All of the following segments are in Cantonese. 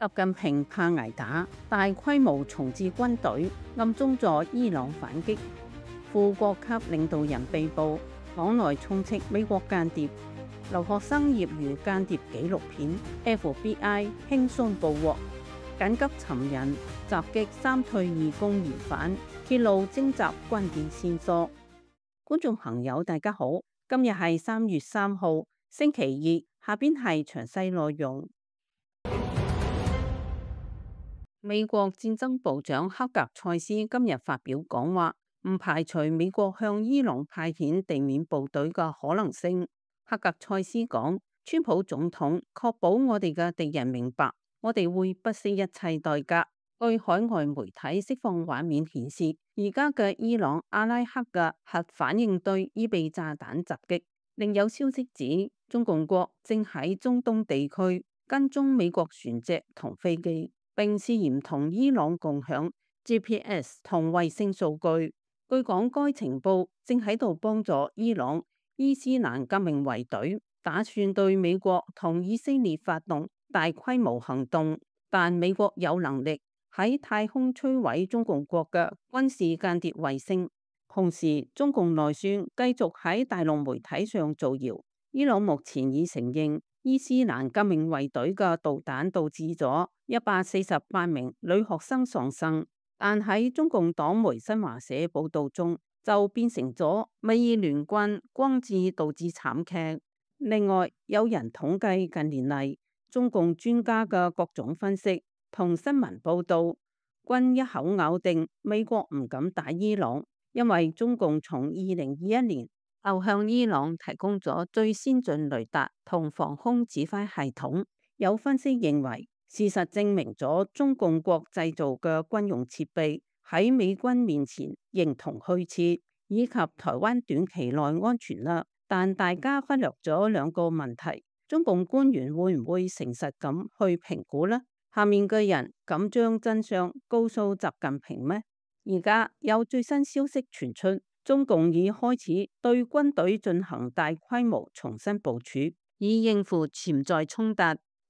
習近平怕捱打，大規模重置軍隊，暗中助伊朗反擊。副國級領導人被捕，黨內充斥美國間諜。留學生業餘間諜紀錄片 ，FBI 輕鬆捕獲。緊急尋人，襲擊3退義工疑犯，揭露偵集關鍵線索。觀眾朋友大家好，今日係3月3號，星期二，下邊係詳細內容。美國戰爭部長克格塞斯今日發表講話，唔排除美國向伊朗派遣地面部隊嘅可能性。克格塞斯講，川普總統確保我哋嘅敵人明白，我哋會不惜一切代價。據海外媒體釋放畫面顯示，而家嘅伊朗阿拉克嘅核反應堆已被炸彈襲擊。另有消息指，中共國正喺中東地區跟蹤美國船隻同飛機，並涉嫌同伊朗共享 GPS 同衛星數據。據講，該情報正喺度幫助伊朗伊斯蘭革命衛隊打算對美國同以色列發動大規模行動，但美國有能力喺太空摧毀中共國嘅軍事間諜衛星。同時，中共內宣繼續喺大陸媒體上造謠，伊朗目前已承認伊斯蘭革命衛隊嘅導彈導致咗148名女學生喪生，但喺中共黨媒新華社報道中就變成咗美伊聯軍光治導致慘劇。另外，有人統計近年嚟中共專家嘅各種分析同新聞報道，均一口咬定美國唔敢打伊朗，因為中共從2021年就向伊朗提供咗最先進雷達同防空指揮系統。有分析認為，事實證明咗中共國製造嘅軍用設備喺美軍面前形同虛設，以及台灣短期內安全啦。但大家忽略咗兩個問題，中共官員會唔會誠實咁去評估呢？下面嘅人敢將真相告訴習近平咩？而家有最新消息傳出，中共已開始對軍隊進行大規模重新部署，以應付潛在衝突。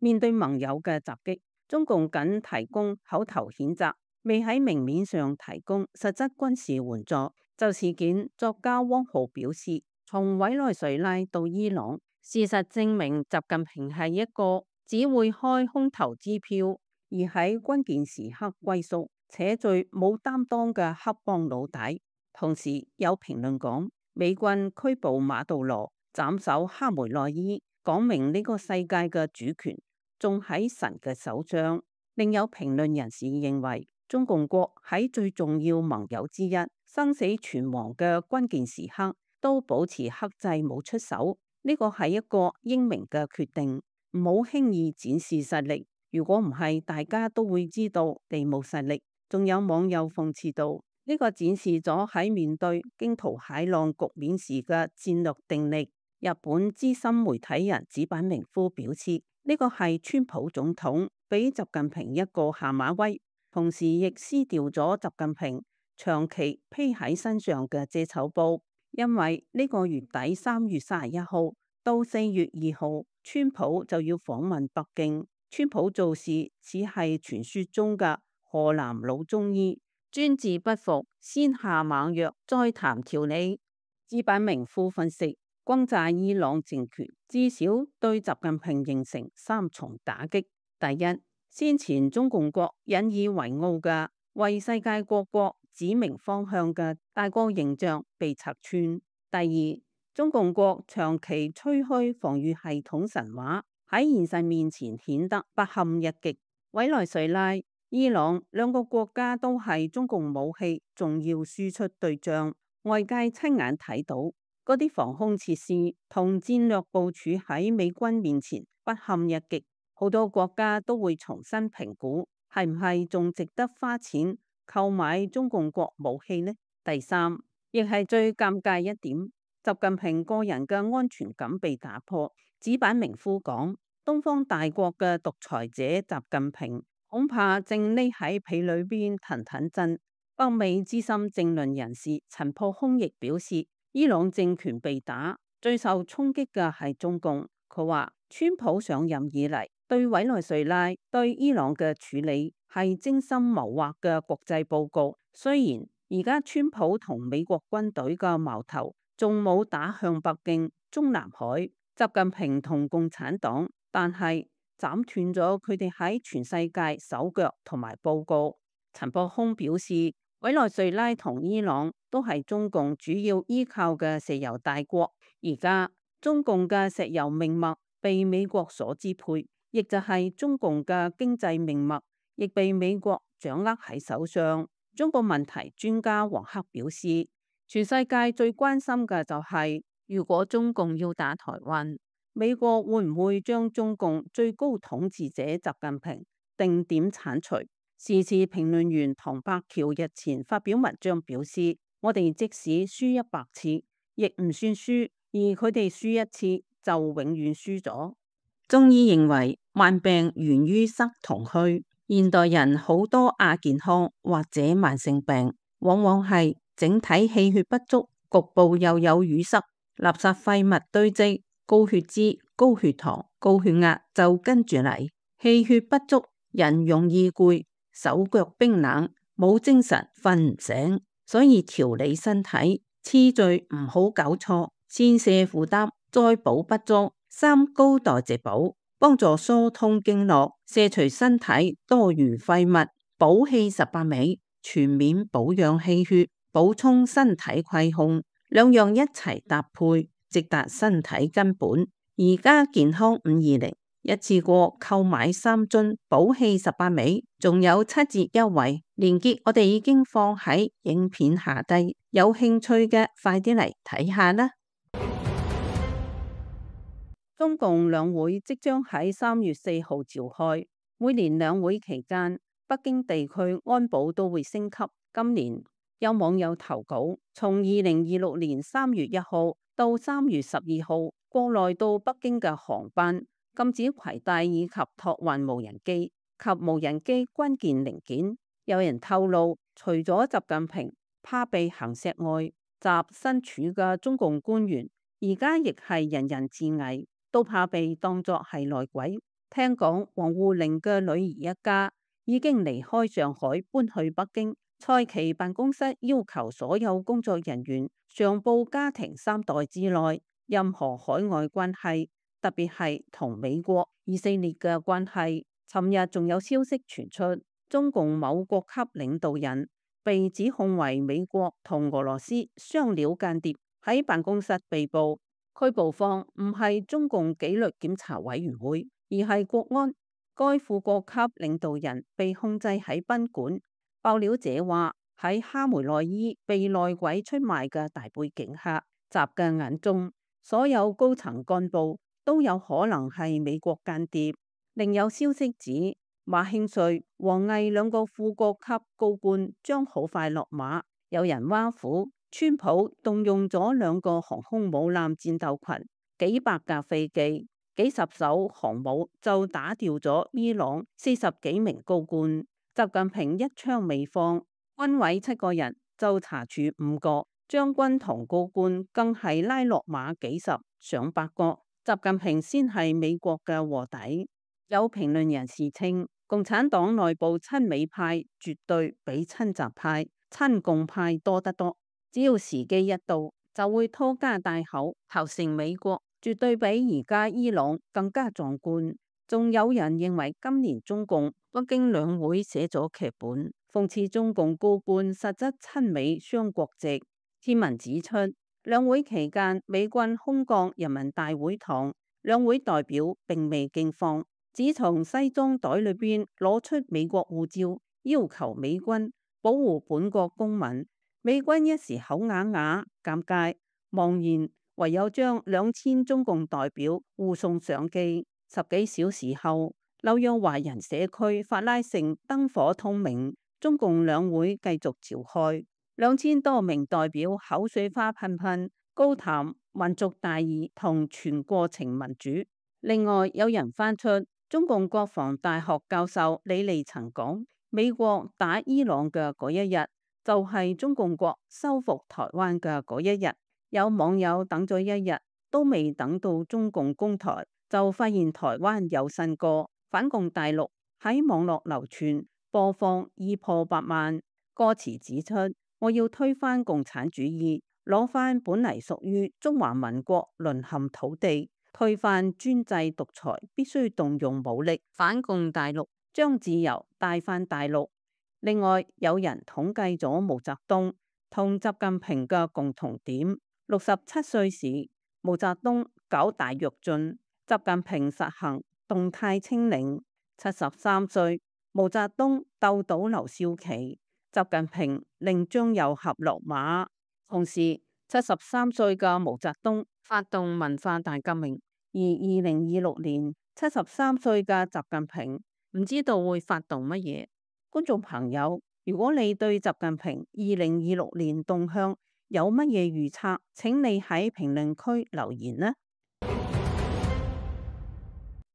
面對盟友嘅襲擊，中共僅提供口頭譴責，未喺明面上提供實質軍事援助。就事件，作家汪浩表示，從委內瑞拉到伊朗，事實證明習近平係一個只會開空頭支票，而喺關鍵時刻龜縮且最冇擔當嘅黑幫老大。同時有評論講，美軍拘捕馬杜羅，斬首哈梅內伊，講明呢個世界嘅主權仲喺神嘅手上。另有評論人士認為，中共國喺最重要盟友之一、生死存亡嘅關鍵時刻都保持克制冇出手，呢個係一個英明嘅決定，唔好輕易展示實力。如果唔係，大家都會知道地冇實力。仲有網友諷刺到，呢個展示咗喺面對驚濤駭浪局面時嘅戰略定力。日本資深媒體人矢板明夫表示，呢個係川普總統俾習近平一個下馬威，同時亦撕掉咗習近平長期披喺身上嘅遮醜布。因為呢個月底3月31號到4月2號，川普就要訪問北京。川普做事只係傳說中嘅河南老中醫，專治不服，先下猛藥，再談條理。矢板明夫分析，轟炸伊朗政權至少對習近平形成3重打擊。第一，先前中共國引以為傲嘅為世界各國指明方向嘅大國形象被拆穿。第二，中共國長期吹噓防禦系統神話喺現實面前顯得不堪一擊。委內瑞拉、伊朗兩個國家都係中共武器重要輸出對象，外界親眼睇到嗰啲防空設施同戰略部署喺美軍面前不堪一擊，好多國家都會重新評估係唔係仲值得花錢購買中共國武器呢？第三，亦係最尷尬一點，習近平個人嘅安全感被打破。矢板明夫講，東方大國嘅獨裁者習近平恐怕正匿喺被裏邊騰騰震。北美資深政論人士陳破空亦表示，伊朗政權被打，最受衝擊嘅係中共。佢話，川普上任以嚟對委內瑞拉對伊朗嘅處理係精心謀劃嘅國際報告。雖然而家川普同美國軍隊嘅矛頭仲冇打向北京、中南海、習近平同共產黨，但係斬斷咗佢哋喺全世界手腳同埋報告。陳博空表示，委內瑞拉同伊朗都係中共主要依靠嘅石油大國，而家中共嘅石油命脈被美國所支配，亦就係中共嘅經濟命脈亦被美國掌握喺手上。中國問題專家黃克表示，全世界最關心嘅就係，如果中共要打台灣，美國會唔會將中共最高統治者習近平定點剷除？時事評論員唐伯橋日前發表文章表示，我哋即使輸100次，亦唔算輸，而佢哋輸1次就永遠輸咗。中醫認為，慢病源於失同虛。現代人好多亞健康或者慢性病，往往係整體氣血不足，局部又有淤塞，垃圾廢物堆積，高血脂、高血糖、高血壓就跟住嚟。氣血不足，人容易攰，手腳冰冷，冇精神，瞓唔醒。所以調理身體次序唔好搞錯，先瀉負擔，再補不足，三高代謝補，幫助疏通經絡，卸除身體多餘廢物，補氣18味，全面保養氣血，補充身體虧空，兩樣一齊搭配，直達身體根本。而家健康520一次過購買3樽補氣18味，仲有7折優惠，連結我哋已經放喺影片下低，有興趣嘅快啲嚟睇下啦。中共兩會即將喺3月4號召開，每年兩會期間，北京地區安保都會升級。今年有網友投稿，從2026年3月1號到3月12號，國內到北京嘅航班禁止攜帶以及託運無人機及無人機關鍵零件。有人透露，除咗習近平怕被行石外，習身處嘅中共官員而家亦係人人自危，都怕被當作係內鬼。聽講王滬寧嘅女兒一家已經離開上海搬去北京，蔡奇辦公室要求所有工作人員上報家庭3代之內任何海外關係，特別係同美國、以色列嘅關係。尋日仲有消息傳出，中共某國級領導人被指控為美國同俄羅斯雙料間諜，喺辦公室被捕。拘捕方唔係中共紀律檢查委員會，而係國安。該副國級領導人被控制喺賓館。爆料者話，喺哈梅內伊被內鬼出賣嘅大背景下，習嘅眼中所有高層幹部都有可能係美國間諜。另有消息指，馬興瑞、王毅2個副國級高官將好快落馬。有人挖苦川普動用咗2個航空母艦戰鬥群、幾百架飛機、幾十艘航母，就打掉咗伊朗40幾名高官。習近平一槍未放，軍委7個人就查處5個，將軍同高官更係拉落馬幾十上百個。習近平先係美國嘅臥底。有評論人士稱，共產黨內部親美派絕對比親習派、親共派多得多，只要時機一到，就會拖家帶口投誠美國，絕對比而家伊朗更加壯觀。仲有人認為今年中共北京兩會寫咗劇本，諷刺中共高官實質親美雙國籍。天文指出，兩會期間美軍空降人民大會堂，兩會代表並未驚慌，只從西裝袋裏邊攞出美國護照，要求美軍保護本國公民。美軍一時口啞啞，尷尬，茫然，唯有將2000中共代表護送上機。10幾小時後，紐約華人社區法拉盛燈火通明，中共兩會繼續召開。2000多名代表口水花噴噴，高談民族大義同全過程民主。另外有人翻出中共國防大學教授李利曾講，美國打伊朗嘅嗰一日，就係中共國收復台灣嘅嗰一日。有網友等咗1日都未等到中共攻台，就發現台灣有新歌，反共大陸喺網絡流傳播放已破百萬，歌詞指出我要推翻共產主義，攞翻本嚟屬於中華民國淪陷土地，推翻專制獨裁必須動用武力，反共大陸將自由帶翻大陸。另外，有人統計咗毛澤東同習近平嘅共同點：67歲時，毛澤東搞大躍進，習近平實行動態清零；73歲，毛澤東鬥倒劉少奇，習近平令張又俠落馬。同時，73歲嘅毛澤東發動文化大革命，而2026年73歲嘅習近平唔知道會發動乜嘢。觀眾朋友，如果你對習近平2026年動向有乜嘢預測，請你喺評論區留言啦。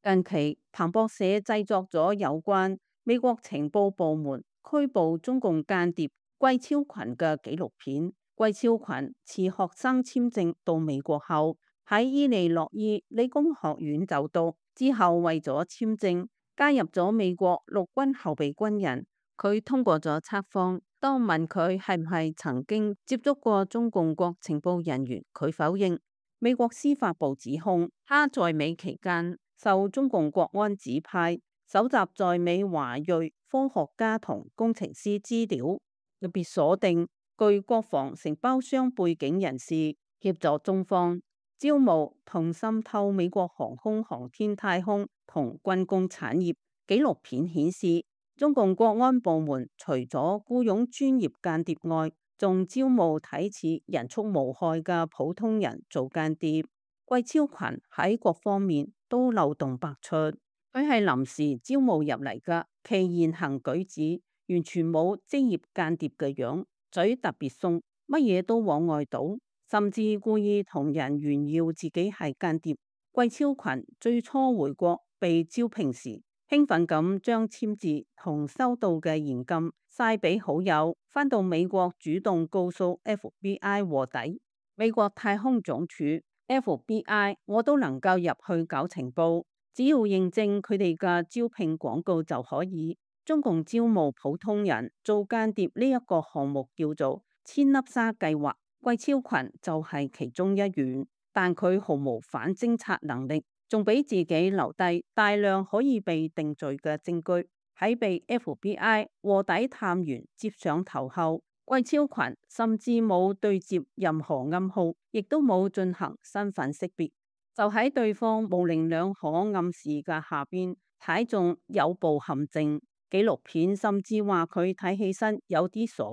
近期彭博社製作咗有關美國情報部門拘捕中共間諜季超群嘅紀錄片。季超群持學生簽證到美國後，喺伊利諾伊理工學院就讀，之後為咗簽證加入咗美國陸軍後備軍人。佢通過咗測謊，當問佢係唔係曾經接觸過中共國情報人員，佢否認。美國司法部指控他在美期間受中共國安指派，搜集在美華裔科學家同工程師資料，特別鎖定具國防承包商背景人士，協助中方招募同滲透美國航空航天太空同軍工產業。紀錄片顯示，中共國安部門除咗僱傭專業間諜外，仲招募睇似人畜無害嘅普通人做間諜。季超群喺各方面都漏洞百出，佢係臨時招募入嚟嘅，其言行舉止完全冇職業間諜嘅樣，嘴特別鬆，乜嘢都往外倒，甚至故意同人炫耀自己係間諜。季超群最初回國被招聘時，興奮咁將簽字同收到嘅現金晒俾好友，返到美國主動告訴 FBI 臥底。美國太空總署 FBI 我都能夠入去搞情報，只要認證佢哋嘅招聘廣告就可以。中共招募普通人做間諜呢一個項目叫做千粒沙計劃，季超群就係其中一員，但佢毫無反偵察能力，仲俾自己留低大量可以被定罪嘅證據。喺被 FBI 臥底探員接上頭後，季超群甚至冇對接任何暗號，亦都冇進行身份識別，就喺對方模棱兩可暗示嘅下邊踩中有步陷阱。紀錄片甚至話佢睇起身有啲傻，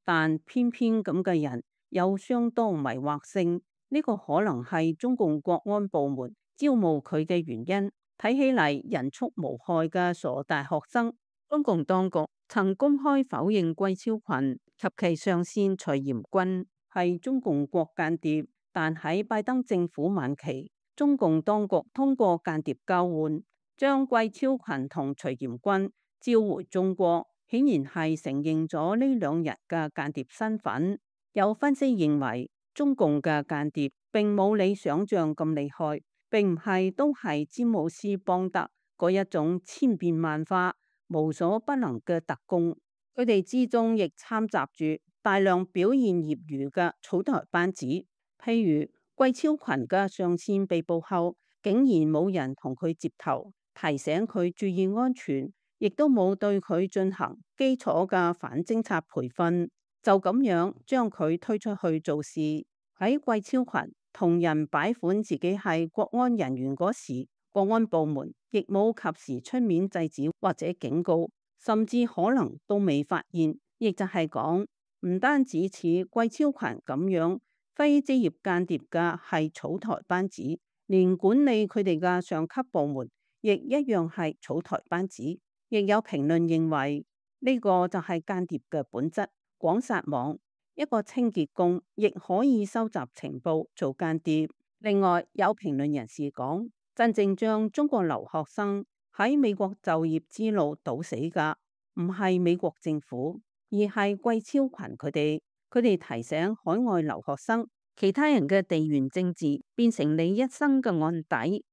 但偏偏咁嘅人有相當迷惑性。呢個可能係中共國安部門招募佢嘅原因。睇起嚟人畜無害嘅傻大學生，中共當局曾公開否認季超群及其上線徐炎軍係中共國間諜，但喺拜登政府晚期，中共當局通過間諜交換，將季超群同徐炎軍召回中國，顯然係承認咗呢兩人嘅間諜身份。有分析認為，中共嘅間諜並冇你想象咁厲害，並唔係都係詹姆斯邦德嗰一種千變萬化、無所不能嘅特工。佢哋之中亦摻雜住大量表現業餘嘅草台班子，譬如季超群嘅上線被捕後，竟然冇人同佢接頭，提醒佢注意安全，亦都冇對佢進行基礎嘅反偵察培訓，就咁樣將佢推出去做事。喺季超群同人擺款自己係國安人員嗰時，國安部門亦冇及時出面制止或者警告，甚至可能都未發現。亦就係講，唔單止似季超群咁樣非職業間諜嘅係草台班子，連管理佢哋嘅上級部門亦一樣係草台班子。亦有評論認為呢個就係間諜嘅本質，廣撒網。一個清潔工亦可以收集情報做間諜。另外有評論人士講，真正將中國留學生喺美國就業之路堵死嘅唔係美國政府，而係季超群佢哋。佢哋提醒海外留學生，其他人嘅地緣政治變成你一生嘅案底。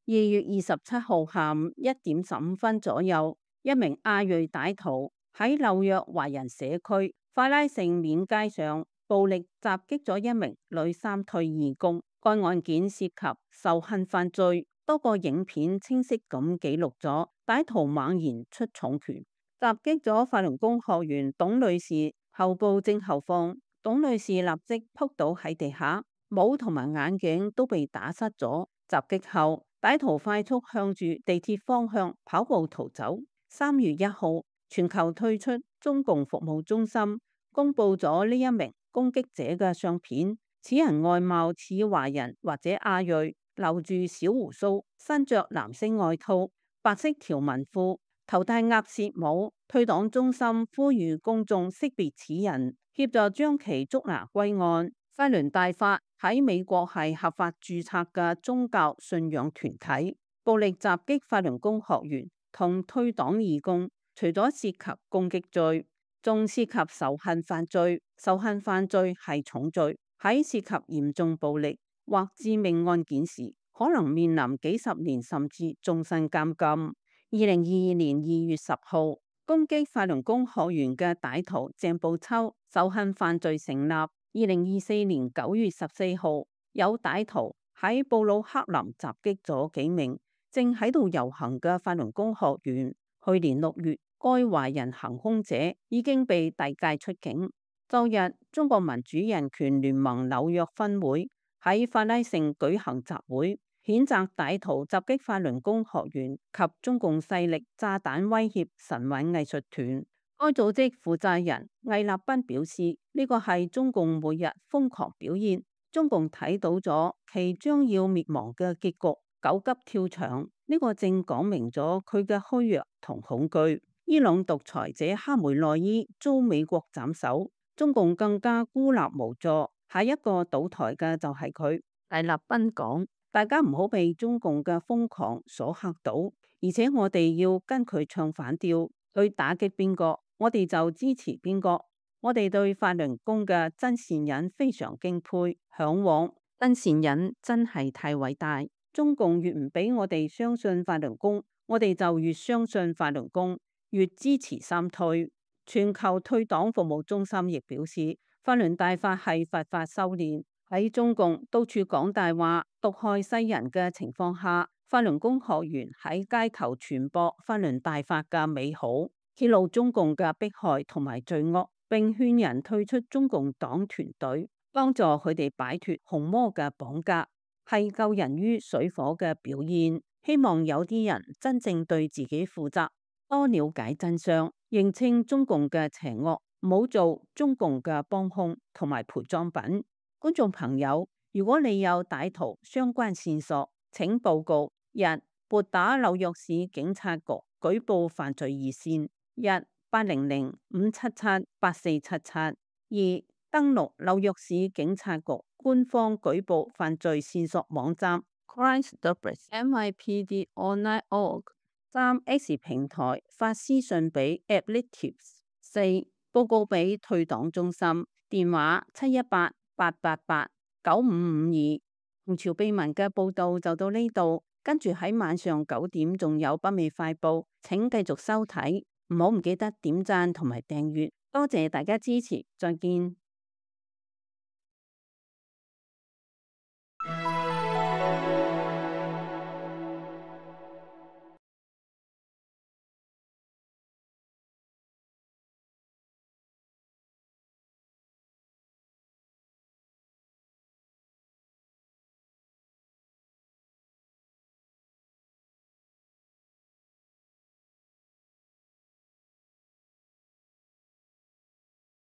2月27號下午1點15分左右，一名亞裔歹徒喺紐約華人社區法拉盛面街上暴力襲擊咗一名女三退義工。該案件涉及仇恨犯罪，多個影片清晰咁記錄咗歹徒猛然出重拳，襲擊咗法輪功學員董女士後部正後方。董女士立即撲倒喺地下，帽同埋眼鏡都被打失咗。襲擊後，歹徒快速向住地鐵方向跑步逃走。3月1號，全球退出中共服務中心，公布咗呢一名攻擊者嘅相片。此人外貌似華人或者亞裔，留住小鬍鬚，身着藍色外套、白色條紋褲，頭戴鴨舌帽。退黨中心呼籲公眾識別此人，協助將其捉拿歸案。法輪大法喺美國係合法註冊嘅宗教信仰團體。暴力襲擊法輪功學員同退黨義工，除咗涉及攻擊罪，仲涉及仇恨犯罪。仇恨犯罪係重罪，喺涉及嚴重暴力或致命案件時，可能面臨幾十年甚至終身監禁。2022年2月10號，攻擊法輪功學員嘅歹徒鄭步秋仇恨犯罪成立。2024年9月14號，有歹徒喺布魯克林襲擊咗幾名正喺度遊行嘅法輪功學員。去年6月，該華人行兇者已經被遞解出境。周日，中國民主人權聯盟紐約分會喺法拉盛舉行集會，譴責歹徒襲擊法輪功學員及中共勢力炸彈威脅神韻藝術團。該組織負責人魏立斌表示，呢個係中共每日瘋狂表現，中共睇到咗其將要滅亡嘅結局，狗急跳牆。呢個正講明咗佢嘅虛弱同恐懼。伊朗獨裁者哈梅內伊遭美國斬首，中共更加孤立無助，下一個倒台嘅就係佢。魏立斌講，大家唔好被中共嘅瘋狂所嚇到，而且我哋要跟佢唱反調，去打擊邊個，我哋就支持邊個。我哋對法輪功嘅真善忍非常敬佩、向往。真善忍真係太偉大。中共越唔俾我哋相信法輪功，我哋就越相信法輪功，越支持三退。全球退黨服務中心亦表示，法輪大法係佛法修煉。喺中共到處講大話、毒害世人嘅情況下，法輪功學員喺街頭傳播法輪大法嘅美好，揭露中共嘅迫害同埋罪惡，並勸人退出中共黨團隊，幫助佢哋擺脫紅魔嘅綁架，係救人於水火嘅表現。希望有啲人真正對自己負責，多了解真相，認清中共嘅邪惡，唔好做中共嘅幫兇同埋陪裝品。觀眾朋友，如果你有歹徒相關線索，請報告：一、撥打紐約市警察局舉報犯罪熱線1-800-577-8477；二、登錄紐約市警察局官方舉報犯罪線索網站 crimestoppers.nypd.online.org；三、X 平台發私信俾 addictives；四、報告俾退黨中心，電話718-888-9552。紅潮秘聞嘅報道就到呢度，跟住喺晚上9點仲有北美快報，請繼續收睇，唔記得點讚同埋訂閱，多謝大家支持，再見。